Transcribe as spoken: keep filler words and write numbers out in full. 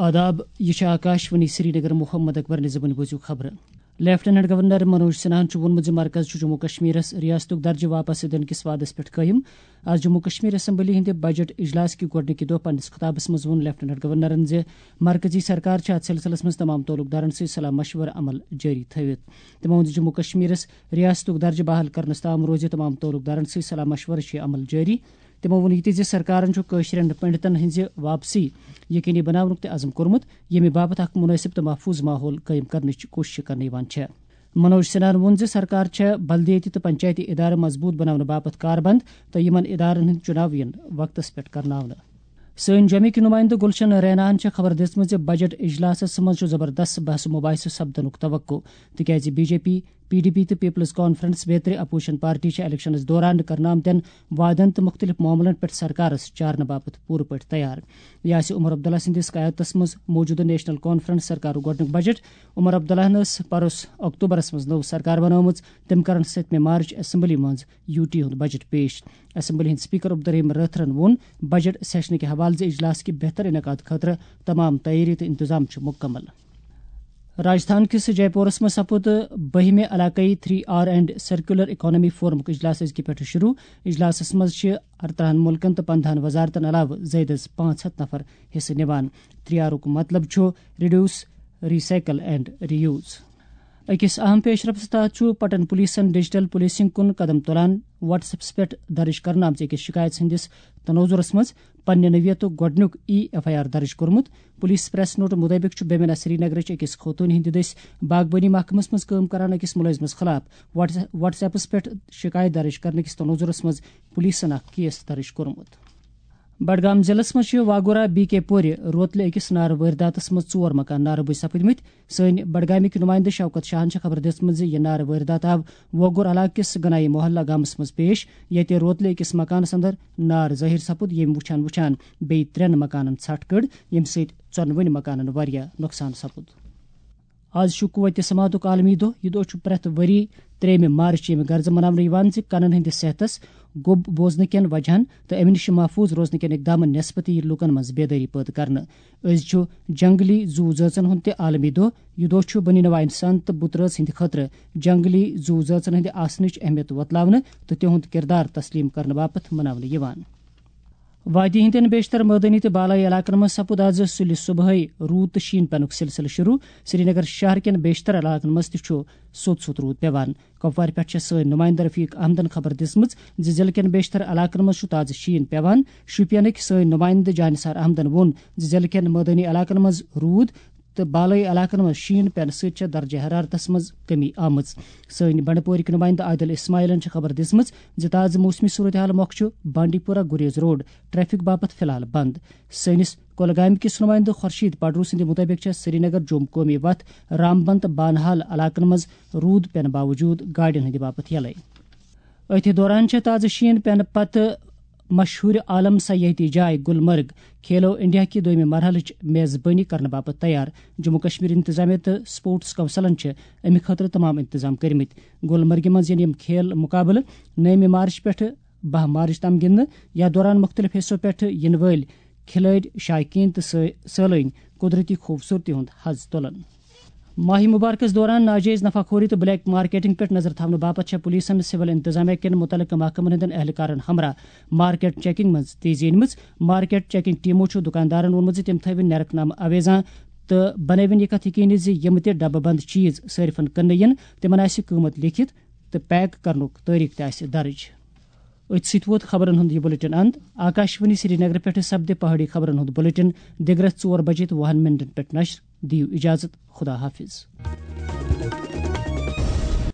آداب، یہِ چھِ آکاشوانی سرینگر۔ محمد اکبر نظامن بوٗزِو خبرٕ۔ لیفٹیننٹ گورنر منوج سنہاہن چھُ ووٚنمُت زِ مرکز چھُ جموں کشمیرس ریاستُک درجہٕ واپس دِنہٕ کِس وعدس پٮ۪ٹھ قٲیِم۔ آز جموں کشمیر اسمبلی ہٕنٛدِ بجٹ اجلاس کہِ گۄڈٕنِکہِ دۄہ پننِس خطابس منٛز ووٚن لیفٹیننٹ گورنرن زِ مرکزی سرکار چھِ اتھ سلسلس منٛز تمام تعلق دارن سۭتۍ صلاح مشورٕ عمل جٲری تھٲوِتھ۔ تِمو ووٚن زِ جموں کشمیرس ریاستُک درجہٕ بحال کرنس تام روزِ تمام تعلق دارن سۭتۍ صلاح مشورٕ چھِ عمل جٲری۔ تِمو ووٚن یہِ تہِ زِ سرکارن چھُ کٲشرٮ۪ن پنڈتن ہٕنٛزِ واپسی یقینی بناونُک تہِ عزم کوٚرمُت، ییٚمہِ باپتھ اکھ مناسب تہٕ محفوظ ماحول قٲیِم کرنٕچ کوٗشش کرنہٕ یِوان چھےٚ۔ منوج سنہاہن ووٚن زِ سرکار چھےٚ بلدیٲتی تہٕ پنچایتی ادارٕ مضبوٗط بناونہٕ باپتھ کاربند تہٕ یِمن ادارن ہٕنٛدۍ چُناو یِن وقتس پٮ۪ٹھ کرناونہٕ۔ سٲنۍ جوٚمِکۍ نُمٲیندٕ گلشن ریناہن چھےٚ خبر دِژمٕژ زِ بجٹ اجلاسس منٛز چھُ زبردست بحث و مباحثہٕ سپدنُک توقع، تِکیازِ B J P, P D P تہٕ پیپلز کانفرنس بیترِ اپوزیشن پارٹی چھےٚ الیکشنس دوران کرنہٕ آمتٮ۪ن وعدن تہٕ مُختٔلِف معاملن پٮ۪ٹھ سرکارس چارنہٕ باپتھ پوٗرٕ پٲٹھۍ تیار۔ یہِ آسہِ عمر عبداللہ سٕنٛدِس قیادتس منٛز موجودٕ نیشنل کانفرنس سرکارُک گۄڈٕنیُک بجٹ۔ عمر عبداللہن ٲس پروس اکتوبرس منٛز نٔو سرکار بنٲومٕژ۔ تٔمۍ کرن ستمہِ مارچ اسمبلی منٛز یو ٹی ہُنٛد بجٹ پیش۔ اسمبلی ہٕنٛدۍ سپیکر عبدالرحیم رٲتھرن ووٚن بجٹ سیشنہٕ کہِ حوالہٕ زِ اجلاس کہِ بہتر انعقاد خٲطرٕ تمام تیٲری تہٕ انتظام چھِ مکمل۔ راجستھان کِس جے پورس منٛز سپُد بٔہمہِ علاقٲیی three R and circular economy فورمُک اجلاس أزکہِ پٮ۪ٹھٕ شروع۔ اجلاسس منٛز چھِ ارترہن مُلکن تہٕ پندہن وزارتن علاوٕ زٲیدٕ از پانٛژھ ہتھ نفر حصہٕ نِوان۔ تھری آرُک مطلب چھُ ریڈیوس، ریسائیکل اینڈ ریوز۔ أکِس اہم پیشرفتس تحت چھُ پٹن پولیسن ڈیجیٹل پولیسنگ کُن قدم تُلان۔ واٹس ایپس پٮ۪ٹھ درٕج کرنہٕ آمژِ أکِس شکایت ہٕنٛدِس تناظرس منٛز پننہِ نوعیتُک گۄڈٕنیُک ای ایف آئی آر درٕج کوٚرمُت۔ پولیس پریس نوٹ مُطٲبِق چھُ بیمینہ سرینگرٕچ أکِس خوتوٗنہِ ہٕنٛدِ دٔسۍ باغبٲنی محکمس منٛز کٲم کران أکِس مُلٲزمس خلاف واٹس واٹس ایپس پٮ۪ٹھ شکایت درٕج کرنہٕ کِس تناظرس منٛز پولیسن اکھ کیس درٕج کوٚرمُت۔ بڈگام ضلعس منٛز چھِ واگورا بی کے پورِ روتلہِ أکِس نارٕ وٲرۍداتس منٛز ژور مکان نارٕ بٔجۍ سپٕدمٕتۍ۔ سٲنۍ بڈگامٕکۍ نُمٲیندٕ شوکت شاہن چھےٚ خبر دِژمٕژ زِ یہِ نارٕ وٲرۍدات آو وگور علاقہٕ کِس گنایی محلہ گامس منٛز پیش، ییٚتہِ روتلہِ أکِس مکانس اندر نار ظٲہِر سپُد، ییٚمۍ وٕچھان وٕچھان بیٚیہِ ترٛٮ۪ن مکانن ژھٹھ کٔڑ، ییٚمہِ سۭتۍ ژۄنوٕنۍ مکانن واریاہ نۄقصان سپُد۔ آز چھُ قوت سماعتُک عالمی دۄہ۔ یہِ دۄہ چھُ پرٛٮ۪تھ ؤری ترٛیٚیِمہِ مارچ ییٚمہِ غرضہٕ مناونہٕ یِوان زِ کَنَن ہٕنٛدِس صحتس گوٚب بوزنہٕ کٮ۪ن وجہن تہٕ اَمہِ نِش محفوٗظ روزنہٕ کٮ۪ن اقدامن نٮ۪صفہٕ تہِ یہِ لوٗکن منٛز بیدٲری پٲدٕ کرنہٕ۔ أزۍ چھُ جنگلی زُو زٲژن ہُنٛد تہِ عالمی دۄہ۔ یہِ دۄہ چھُ بنی نوع انسان تہٕ بُت رٲژ ہٕنٛدِ خٲطرٕ جنگلی زُو زٲژن ہٕنٛدِ آسنٕچ اہمیت وۄتلاونہٕ تہٕ تِہُنٛد کردار تسلیٖم کرنہٕ باپتھ مناونہٕ یِوان۔ وادی ہٕنٛدٮ۪ن بیشتر مٲدٲنی تہٕ بالٲیی علاقن منٛز سپُد آز سُلہِ صبحٲے روٗد تہٕ شیٖن پینُک سلسلہٕ شروع۔ سرینگر شہر کٮ۪ن بیشتر علاقن منٛز تہِ چھُ سوٚت سوٚت روٗد پٮ۪وان۔ کۄپوارِ پٮ۪ٹھ چھےٚ سٲنۍ نُمٲیندٕ رفیق احمدن خبر دِژمٕژ زِ ضلعہٕ کٮ۪ن بیشتر علاقن منٛز چھُ تازٕ شیٖن پٮ۪وان۔ شوپینٕکۍ سٲنۍ نُمٲیندٕ جانثار احمدن ووٚن زِ ضلعہٕ کٮ۪ن مٲدٲنی علاقن منٛز روٗد تہٕ بالٲیی علاقن منٛز شیٖن پینہٕ سۭتۍ چھےٚ درجہ حرارتس منٛز کمی آمٕژ۔ سٲنۍ بنڈپورٕکۍ نُمٲیندٕ عادل اسماعیلن چھےٚ خبر دِژمٕژ زِ تازٕ موسمی صورتحال مۄکھ چھُ بانڈی پورہ گریز روڈ ٹریفک باپتھ فی الحال بند۔ سٲنِس کۄلگامہِ کِس نُمٲیندٕ خورشید پڈرو سٕنٛدِ مُطٲبِق چھےٚ سرینگر جوم قومی وتھ رامبند تہٕ بانہال علاقن منٛز روٗد پینہٕ باوجوٗد گاڑٮ۪ن ہٕنٛدِ باپتھ یلے۔ أتھۍ دوران چھےٚ تازٕ شیٖن پینہٕ پتہٕ مشہوٗر عالم سیاحتی جاے گلمرگ کھیلو انڈیا کہِ دوٚیمہِ مرحلٕچ میزبٲنی کرنہٕ باپتھ تیار۔ جموں کشمیر انتظامیہ تہٕ سپورٹس کونسلن چھِ امہِ خٲطرٕ تمام انتظام کٔرمٕتۍ۔ گلمرگہِ منٛز یِن یِم کھیل مقابلہٕ نٔیمہِ مارچ پٮ۪ٹھٕ باہ مارچ تام گِنٛدنہٕ۔ یتھ دوران مُختٔلِف حصو پٮ۪ٹھٕ یِنہٕ وٲلۍ کھلٲڑۍ، شائقین تہٕ سٲ-، سٲلٲنۍ قدرتی خوٗبصوٗرتی ہُنٛد حظ تُلن۔ ماہِ مبارکس دوران ناجٲیز نفع خوری تہٕ بلیک مارکیٹنگ پٮ۪ٹھ نظر تھاونہٕ باپتھ چھےٚ پولیسن سول انتظامیہ کٮ۪ن مُتعلقہٕ محکمن ہٕنٛدٮ۪ن اہلکارن ہمراہ مارکیٹ چیکنگ منٛز تیزی أنمٕژ۔ مارکیٹ چیکنگ ٹیمو چھُ دُکاندارن ووٚنمُت زِ تِم تھٲوِن نیرک نامہٕ آویزان تہٕ بنٲوِن یہِ کتھ یقینی زِ یِم تہِ ڈبہٕ بند چیز صٲرفن کٕننہٕ یِن، تِمن آسہِ قۭمتھ لیکھِتھ تہٕ پیک کرنُک تٲریخ تہِ آسہِ درٕج۔ أتھۍ سۭتۍ ووت خبرن ہُنٛد یہِ بلیٹن اند۔ آکاشوانی سرینگر پٮ۪ٹھٕ سپدِ پہاڑی خبرن ہُنٛد بلیٹن دِگرس ژور بجے تہٕ وُہن منٹن پٮ۪ٹھ نشر۔ دِیِو اجازت، خدا حافظ۔